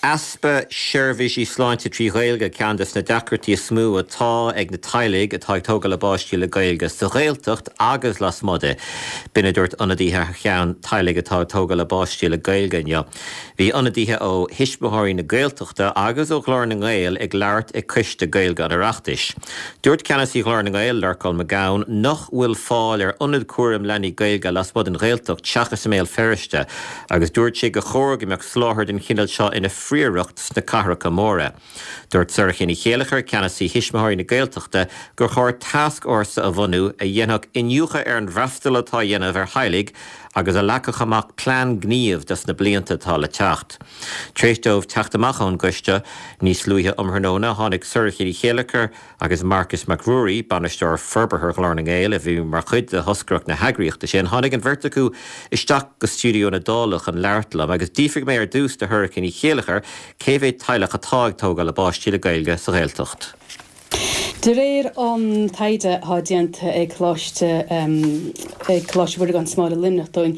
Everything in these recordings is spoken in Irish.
easpa seirbhísí sláinte 3 Ghaeilge ceann des na deacrachtaí is mó atá ag na teaghlaigh atá ag tógáil a bpáistí le Gaeilge sa Ghaeltacht agus lasmuigh di. B'in a dúirt ionadaithe thar cheann teaghlaigh atá ag tógáil a bpáistí le Gaeilge inniu. Bhí ionadaithe ó Thuismitheoirí na Gaeltachta agus ó Ghlór na nGael ag labhairt ag Coiste Gaeilge an Oireachtais. Dúirt Ceannasaí Ghlór na nGael, Lorcán Mac Gabhann, nach bhfuil fáil ar ionad cúraim leanaí Gaeilge lasmuigh den Ghaeltacht seachas i mBéal Feirste agus dúirt sé gur chóir go mbeadh soláthar den chineál seo ina phríoracht sna cathracha móra. Dúirt Sorcha Ní Chéilleachair, Ceannasaí Thuismitheoirí na Gaeltachta, gur chóir tascfhórsa a bhunú a dhéanfadh iniúchadh ar an bhfreastal atá á dhéanamh ar theaghlaigh agus a leagfadh amach plean gnímh dos na blianta atá le teacht. Tar éis dóibh teacht amach ón gcoiste níos luaithe um thráthnóna, tháinig Sorcha Ní Chéilleachair agus Marcus Mac Ruairí, Bainisteoir Forbartha Ghlór na nGael, a bhí mar chuid de thoscaireacht na heagraíochta sin, tháinig an bheirt acu isteach go stiúideo na Dála chun labhairt liom agus d'fhiafraigh mé ar dtús de Shorcha Ní Chéilleachair cé mhéad teaghlach atá ag tógáil a bpáistí le Gaeilge sa Ghaeltacht. De réir an taighde atá déanta ag Coláiste ag Coláiste Mhuire gan Smál i Luimneach dúinn,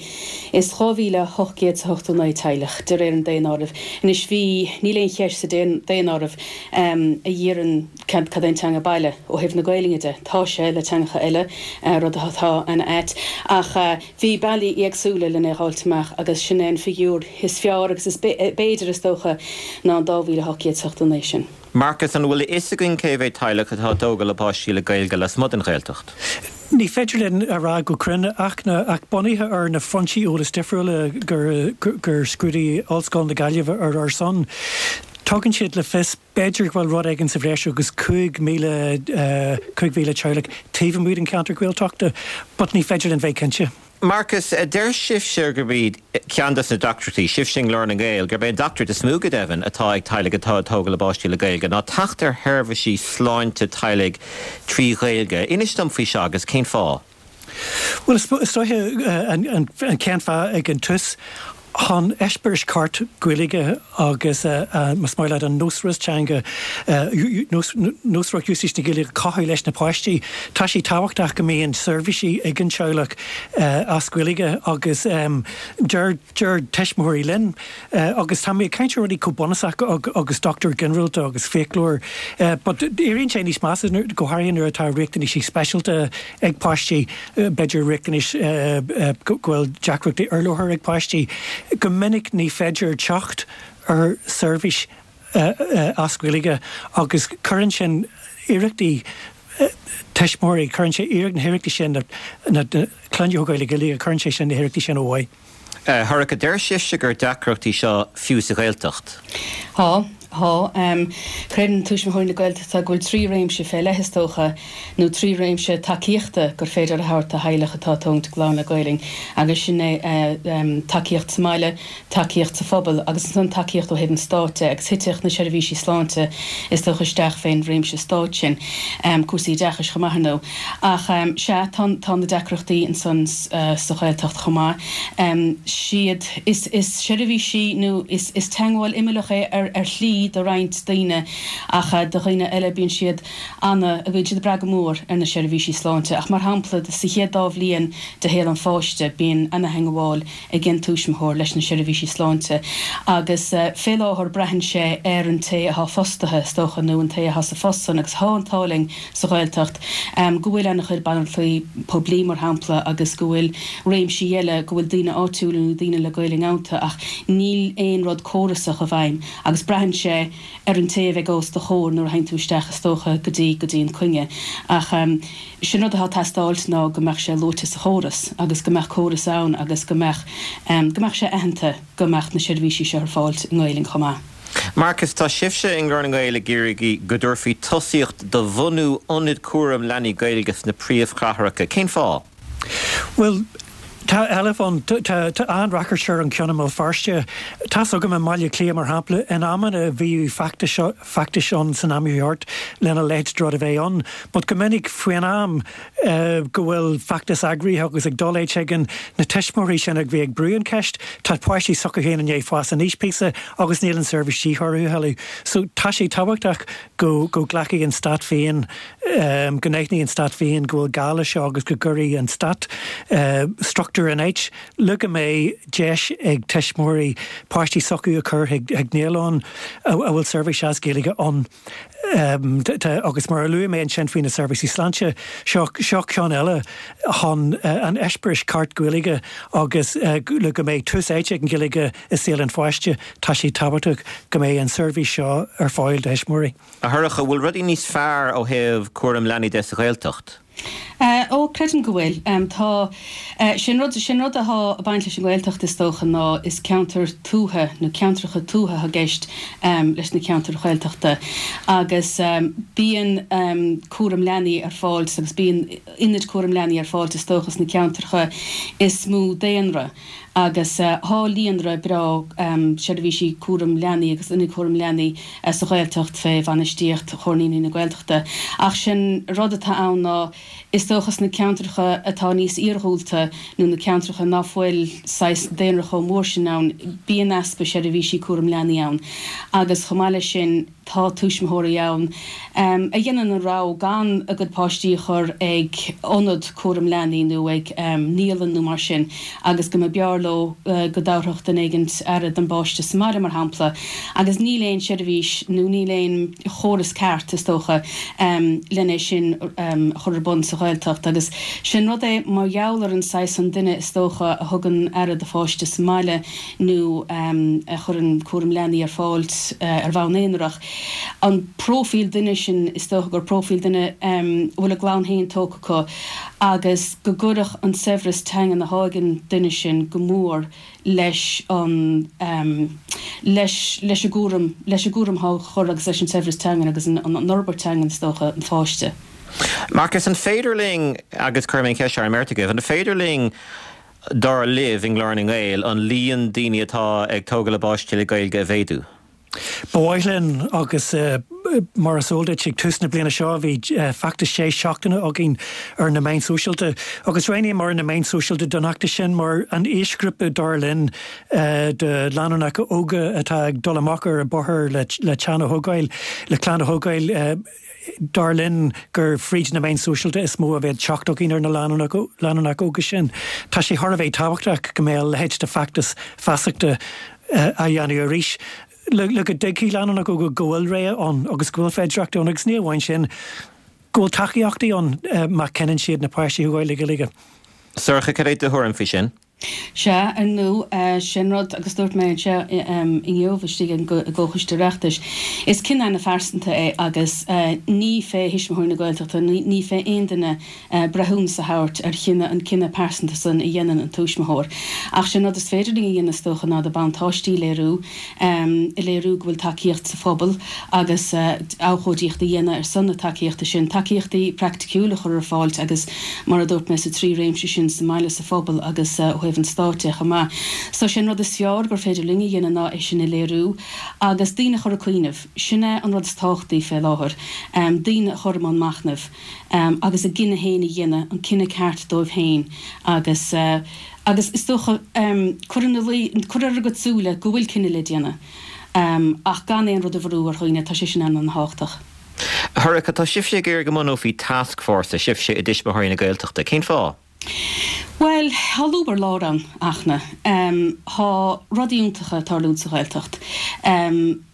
is 2,889 teaghlach, de réir an daonáirimh. Anois bhí, níl aon cheist sa daonáireamh a iarrann cad é an teanga baile ó thaobh na Gaelainne de. Tá sé le teangacha eile, rud atá ana-ait, ach bhí bealaí éagsúla lena dh'fháilt amach agus sin é an figiúr is fearr agus is b'fhéidir, is dócha, ná an 2,889 sin. Marcus, An bhfuil a fhios againn cé mhéad teaghlach atá ag tógáil a bpáistí le Gaeilge lasmuigh den Ghaeltacht? Ní féidir linn a rá go cruinn ach ach bunaithe ar na foinsí eolais difriúla gur gur scrúdaigh Ollscoil na Gaillimhe ar ár son, tugann siad le fios b'fhéidir go bhfuil rud éigin sa bhreis agus 5,000 5,000 teaghlach taobh amuigh den cheantar Gaeltachta but ní féidir linn bheith cinnte. Marcus, deir sibhse gurb iad ceann dos na deacrachtaí, sibhse i nGlór na nGael, gurb é an deacracht is mó go deimhin atá ag teaghlaigh atá ag tógáil a bpáistí le Gaeilge ná teacht ar sheirbhísí sláinte teaghlaigh trí Ghaeilge. Inis dom faoi seo agus cén fáth? Bhuel, is dóiche an chéad fáth ag an tús, chun eispéireas ceart Gaeilge agus, más maith leat, an nósmhaireacht teanga, nósmhaireacht úsáid na Gaeilge a chothú leis na páistí. Tá sé tábhachtach go mbíonn seirbhísí ag an teaghlach as Gaeilge agus deir deir tuismitheoirí linn, agus tá mé ag caint ar rudaí chomh bunúsach agus dochtúir ginearálta agus fiaclóir, but éiríonn sé níos measa, go háirithe nuair atá riachtanaisí speisialta ag páistí, b'fhéidir riachtanais go bhfuil deacrachtaí urlabhartha ag páistí. Go minic ní féidir teacht ar seirbhís as Gaeilge agus cuireann sin iarrachtaí tuismitheoirí, cuireann sé na hiarrachtaí sin na clainne a thógáil le Gaeilge, cuireann sé sin na hiarrachtaí sin ó mhaith. Shorcha, deir sibhse gur deacracht í seo fiú sa Ghaeltacht. Tá. Tá. Creideann Tuismitheoirí na Gaeltachta go bhfuil trí réimse fé leith, is dócha, nó trí réimse tacaíochta gur féidir a thabhairt do theaghlach atá ag tógaint a gclann le Gaelainn, agus sin é tacaíocht sa mbaile, tacaíocht sa phobal agus ansan tacaíocht ó thaobh an stáit de, agus thitfeadh na seirbhísí sláinte, is dócha, isteach fén réimse stáit sin. Cúrsaí oideachais chomh maith, ar ndóigh. Ach sea, tá, tá na deacrachtaí ansan sa Ghaeltacht chomh maith. Siad, is, is seirbhísí nó is, is teagmháil imeallach é ar, ar shlí do roinnt daoine ach do dhaoine eile bíonn siad ana, bíonn siad ag brath go mór ar na seirbhísí sláinte. Ach mar shampla, sa chéad dá bhliain de shaol an pháiste bíonn ana-theagmháil ag an tuismitheoir leis na seirbhísí sláinte agus fé láthair braitheann sé ar an té athá fostaithe, is dócha, nó an té athá sa phost san agus thá an t-ádh linn sa Ghaeltacht go bhfuil ana-chuid banaltraí poiblí, mar shampla, agus go bhfuil réimsí eile, go bhfuil daoine áitiúla nó daoine le Gaelainn iontu ach níl aon rud córasach i bhfeidhm agus braitheann sé ar an té a bheidh os do chomhair nuair a théann tú isteach is dócha go dtí go dtí an coinne. Ach sin rud atá ag teastáilt ná go mbeadh sé luaite sa chóras agus go mbeadh córas ann agus go mbeadh go mbeadh sé aitheanta go mbeadh na seirbhísí seo ar fáilt i nGaelainn chomh maith. Marcus, tá sibhse i nGlór na nGael ag iarraidh go dtabharfaí tosaíocht do bhunú ionad cúraim leanaí Gaeilge sna príomhchathracha. Cén fáth? Bhuel, tá éileamh ann. Tá an-ráchairt ar an cheann i mBéal Feirste. Tá's agam i mBaile Átha Cliath, mar shampla, in amanna bhíodh feachtais ann san am a bhí thart lena leithéid de rud a bheith ann. But go minic faoin am. go bhfuil feachtas eagraithe agus ag dul áit éigin, na tuismitheoirí sin a bhí ag brú an cheist, tá páistí s'acu féin i ndiaidh fás aníos píosa agus níl an seirbhís de dhíth orthu a thuilleadh. So tá sé tábhachtach go go nglacfaidh an stát féin, go n-aithneoidh an stát féin go bhfuil gá leis seo agus go gcuirfidh an stát struchtúr in áit le go mbeidh deis ag tuismitheoirí páistí s'acu a chur chuig naíolann a bhfuil seirbhís as Gaeilge ann. Agus mar a luaigh mé ansin faoi na seirbhísí sláinte, seo seo ceann eile chun an eispéireas ceart Gaeilge agus le go mbeidh tús áite ag an Ghaeilge i saol an pháiste, tá sé tábhachtach go mbeidh an seirbhís seo ar fáil do thuismitheoirí. A Shorcha, bhfuil rudaí níos fearr ó thaobh cúram leanaí de sa Ghaeltacht? Ó, creidim go bhfuil. Tá. Sé'n rud, sé'n rud athá ag baint leis an nGaeltacht is dócha ná is ceantar tuaithe nó ceantracha tuaithe athá i gceist leis na ceantair Ghaeltachta agus bíonn cúram leanaí ar fáil agus bíonn ionaid cúram leanaí ar fáil is dócha sna ceantracha is mó daonra. Agus thá líonra breá seirbhísí cúram leanaí agus ionaid chúram leanaí sa Ghaeltacht fé bhainistíocht Chomhar Naíonraí na Gaeltachta. Ach sé'n rud atá ann ná is dócha sna ceantracha atá níos iarghúlta nó na ceantracha ná fuil saghas daonra chomh mór sin ann, bíonn easpa seirbhísí cúram leanaí ann. Agus chomh maith leis sin, Tá tuismitheoirí ann a dhéanann an rogha gan a gcuid páistí a chur ag ionad cúram leanaí nó ag naíolann nó mar sin agus go mba b'fhearr leo go dtabharfadh duine éigint aire don bpáiste sa mbaile, mar shampla. Agus níl aon seirbhís nó níl aon chóras ceart, is dócha, len é sin a chur ar bun sa Ghaeltacht. Agus sé'n rud é, mar gheall ar an saghas san duine, is dócha, a thugann aire do pháiste sa mbaile, nó a chuireann cúram leanaí ar fáil ar bhonn aonarach. An próifíl duine sin, is dócha gur próifíl duine a bhfuil a gclann féin tógtha acu agus go gcuirfeadh an saibhreas teangan athá ag an duine sin go mór leis an leis leis an gcúram leis an gcúram athá á chur agus leis an saibhreas teangan agus an fhorbairt teangan is dócha an pháiste. Marcus, an féidir linn, agus cuirfidh mé an cheist seo ar an mbeirt agaibh, an féidir linn dar libh, i nGlór na nGael, an líon daoine atá ag tógáil a bpáistí le Gaeilge a mhéadú? Ba mhaith linn agus mar is eol duit, ag tús na bliana seo bhí feachtas sé seachtaine againn ar na meáin sóisialta agus roghnaíomar na meáin sóisialta don fheachtas sin mar an aoisghrúpa dar linn de lánúineacha óga atá ag dul amach ar an bóthar le teann a thógáil, le clann a thógáil. Dar linn gur fríd na meáin sóisialta is mó a bheadh teacht againn ar na lánúineacha óga sin. Tá sé thar a bheith tábhachtach go mbeadh a leithéid de feachtas feasachta á dhéanamh arís le go dtuigfidh lánúineacha óga go bhfuil rogha ann agus go bhfuil féidearthachtaí ann agus ní amháin sin, go bhfuil tacaíochtaí ann má chinneann siad na páistí a thógáil le Gaeilge. Sorcha, cad é do thuairim faoi sin? Sea, ar ndóigh, sin rud, agus dúirt mé anseo inniu istigh i gComhchoiste Oireachtais, is cinneadh ana-phearsanta é agus ní fé Thuismitheoirí na Gaeltachta, ní fé aon duine breithiúnas a thabhairt ar chinneadh, an cinneadh pearsanta san a dhéanann an tuismitheoir. Ach sé'n rud is féidir linn a dhéanamh is dócha ná na buntáistí a léiriú, a léiriú go bhfuil tacaíocht sa phobal agus abhcóidíocht a dhéanamh ar son na tacaíochta sin, tacaíochtaí praiticiúla a chur ar fáil agus, mar a dúirt mé, sa trí réimse sin, sa mbaile, sa phobal agus ó thaobh an stáit de chomh maith. So, sé an rud is fearr gur féidir linn a dhéanamh ná é sin a léiriú agus daoine a chur ag cuimhneamh. Sin é an rud is tábhachtaí fé láthair, daoine a chur i mbun machnaimh agus a gcinneadh féin a dhéanamh, an cinneadh ceart dóibh féin agus. Agus is dócha, cur ina luí, cur ar a gcuid súile go bhfuil cinneadh le déanamh, ach gan aon rud a bhrú ar dhaoine, tá sé sin an-an-thábhachtach. A Shorcha, tá sibhse ag iarraidh go mbunófaí tascfhórsa, sibhse i dTuismitheoirí na Gaeltachta. Cén fáth? Bhuel, tá lúb ar lár ann, a Fhachtna. Tá rudaí iontacha ag tarlúint sa Ghaeltacht.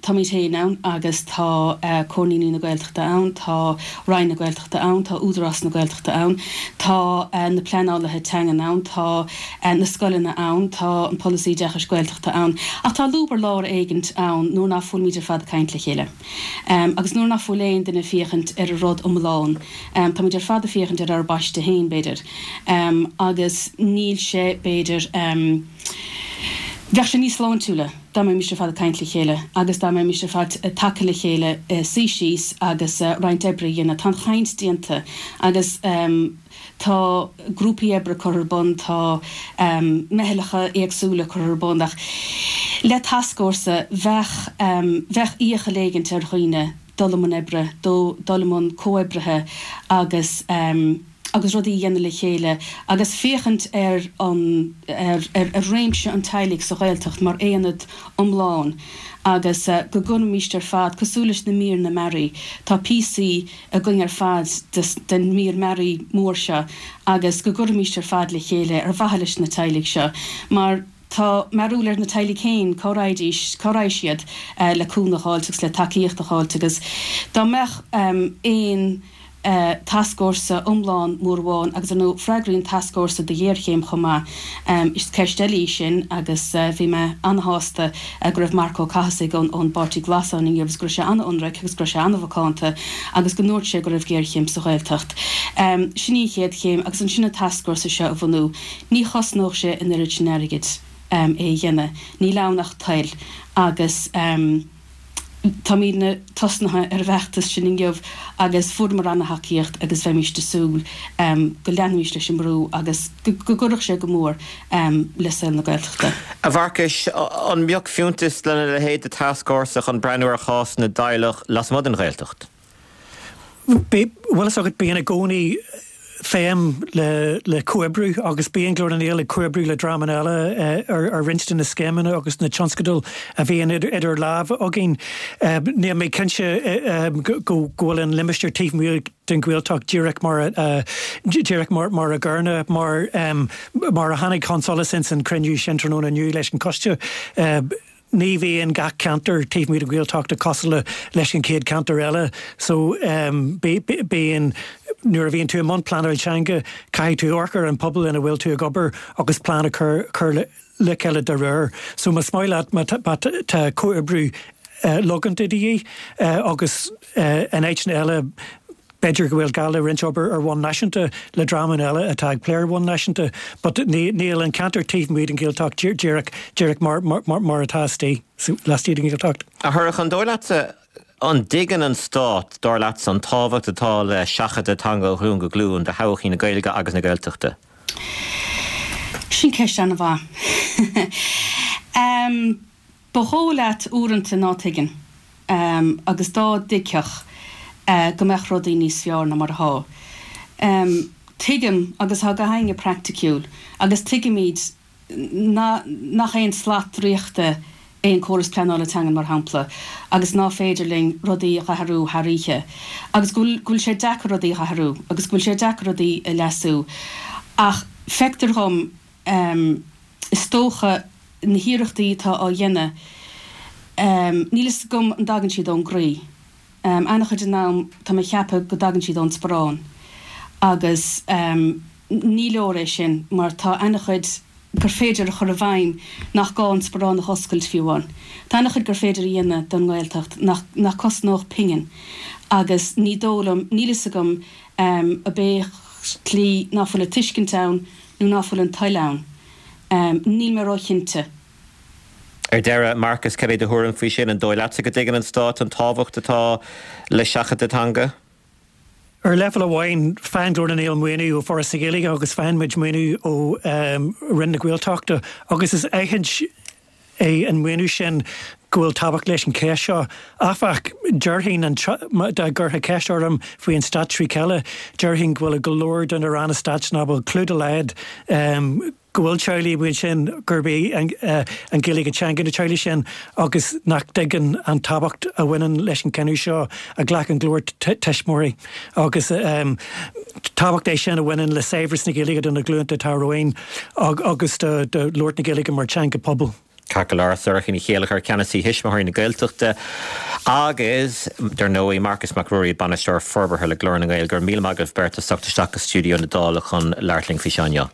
Táimid féin ann agus tá Comhar Naíonraí na Gaeltachta ann, tá Roinn na Gaeltachta ann, tá Údarás na Gaeltachta ann, tá na pleanálaithe teangan ann, tá na scoileanna ann, tá an polasaí oideachais Gaeltachta ann. Ach tá lúb ar lár éigint ann nuair ná fuilimid ar fad ag caint le chéile. Agus nuair ná fuil aon duine ag féachaint ar an rud iomlán. Táimid ar fad ag féachaint ar ár bpaiste féin, b'fhéidir. Agus níl sé, b'fhéidir, bheadh sé níos sláintiúla dá mbeimis ar fad ag caint le chéile agus dá mbeimis ar fad tagtha le chéile, suí síos agus roinnt oibre a dhéanamh. Tá an chaint déanta agus tá grúpaí oibre curtha ar bun, tá meithleacha éagsúla curtha ar bun ach le tascfhórsa bheadh, bheadh iachall éigint ar dhaoine dul i mbun oibre, dul i mbun comhoibrithe agus. Agus rudaí a dhéanamh le chéile agus féachaint ar an, ar, ar réimse an teaghlaigh sa Ghaeltacht mar aonad iomlán agus go gcuirfimíst ar fad, cosúil leis na míreanna mearaí, tá píosaí againn ar fad den mír mearaí mór seo agus go gcuirfimíst ar fad le chéile ar mhaithe leis na teaghlaigh seo mar tá mearúil ar na teaghlaigh féin cá raghaidís, cá raghaidh siad le cúnamh a dh'fháilt agus le tacaíocht a dh'fháilt agus dá mbeadh aon tascfhórsa iomlán mór amháin agus ar ndóigh freagraíonn tascfhórsa do ghéarchéim chomh maith. Is ceist eile í sin agus bhí mé an-shásta go raibh Marc Ó Cathasaigh ón bPáirtí Glas ann inniu agus go raibh sé an-ionraic agus go raibh sé an-mhacánta agus go ndúirt sé go raibh géarchéim sa Ghaeltacht. Sin í an chéad chéim agus ansin an tascfhórsa seo a bhunú. Ní chosnódh sé an oiread sin airgid é a dhéanamh. Níl ann ach toil agus. Táimidne tosnaithe ar an bhfeachtas sin inniu agus fuaireamar ana-thacaíocht agus bheimíst ag súil go leanfaimíst leis an mbrú agus go gcuirfeadh sé go mór le saol na Gaeltachta. A Mharcais, an mbeadh fiúntas lena leithéid de tascfhórsa chun breathnú ar chás na dteaghlach lasmuigh den Ghaeltacht? Bhfuil fhios agat, bíonn i gcónaí feidhm le comhoibriú agus bíonn Glór na nGael ag comhoibriú le dreamanna eile ar roinnt de na scéimeanna agus na tionscadail a bhíonn idir lámha againn. Níl mé cinnte go bhfuil an limistéar taobh amuigh den Ghaeltacht díreach mar díreach mar a gcéanna mar mar a tháinig chun solais ins an cruinniú sin tráthnóna inniu leis an choiste. Ní bhíonn gach ceantar taobh amuigh den Ghaeltacht cosúil leis an chéad ceantar eile so bíonn, nuair a bhíonn tú i mbun pleanáil teanga caithfidh tú amharc ar an pobal ina bhfuil tú ag obair agus plean a chur le chéile dá réir. So más maith leat má tá comhoibriú logánta de dhíth agus in áiteanna eile, B'fhéidir go bhfuil gá le roinnt obair ar bhonn náisiúnta le dreamanna eile atá ag plé ar bhonn náisiúnta but níl an ceantar taobh amuigh den Ghaeltacht díreach díreach mar mar atá istigh laistigh den Ghaeltacht. A Shorcha, an dóigh leatsa, an dtuigeann an Stát, dar leatsa, an tábhacht atá le seachadadh teanga ó ghlúin go glúin do thodhchaí na Gaeilge agus na Gaeltachta? Sin ceist an-mhaith. Ba dhóigh leat uaireanta ná tuigeann, agus dá dtuigfeadh, go mbeadh rudaí níos fearr ná mar athá. Tuigim, agus tá gach éinne praiticiúil, agus tuigimid nach aon slat draíochta é an córas pleanála teangan, mar shampla, agus ná féidir linn rudaí a dh'athrú thar oíche, agus go bhfuil sé deacair rudaí a dh'athrú, agus go bhfuil sé deacair rudaí a leasú. Ach feictear dhom, Is dócha, na hiarrachtaí atá á dhéanamh, níl fhios agam an dtagann siad ón gcroí. An-chuid den am tá mé ag ceapadh go dtagann siad ón sparán agus ní leor é sin mar tá an-chuid gur féidir a chur i bhfeidhm nach gá an sparán a dh'oscailt fiú amháin. Tá an-chuid gur féidir a dhéanamh don nGaeltacht nach nach cosnódh pingin agus ní dóigh liom, níl fhios agam ab é tslí ná fuil an tuiscint ann nó ná fuil an toil ann. Níl mé róchinnte. Ar deireadh, Marcas, cad é do thuairim faoi sin? An dóigh leatsa go dtuigeann an Stát an tábhacht atá le seachadadh teanga? Ar leibhéal amháin, faigheann Glór na nGael maoiniú ó Foras na Gaeilge agus faigheann muid maoiniú ó Roinn na Gaeltachta agus is aithint é an maoiniú sin go bhfuil tábhacht leis an cheist seo. Áfach, déarfainn, dá gcuirfeá ceist orm faoi an Stát trí chéile, déarfainn go bhfuil go leor de na ranna stáit nach bhfuil clue dá laghad go bhfuil teaghlaigh amuigh ansin gurb í an Ghaeilge teanga na teaghlaigh sin agus nach dtuigeann an tábhacht a bhaineann leis an cinneadh seo a ghlac an glór tuismitheoirí agus tábhacht é sin a bhaineann le saibhreas na Gaeilge do na glúnta atá romhainn agus do labhairt na Gaeilge mar teanga pobail. Ceart go leor, Sorcha Ní Chéilleachair, Ceannasaí Thuismitheoirí na Gaeltachta agus, dar ndóigh, Marcas Mac Ruairí, Bainisteoir Forbartha le Glór na nGael. Go raibh míle maith agaibh beirt as teacht isteach go stiúideo na Dála chun labhairt linn faoi seo inniu.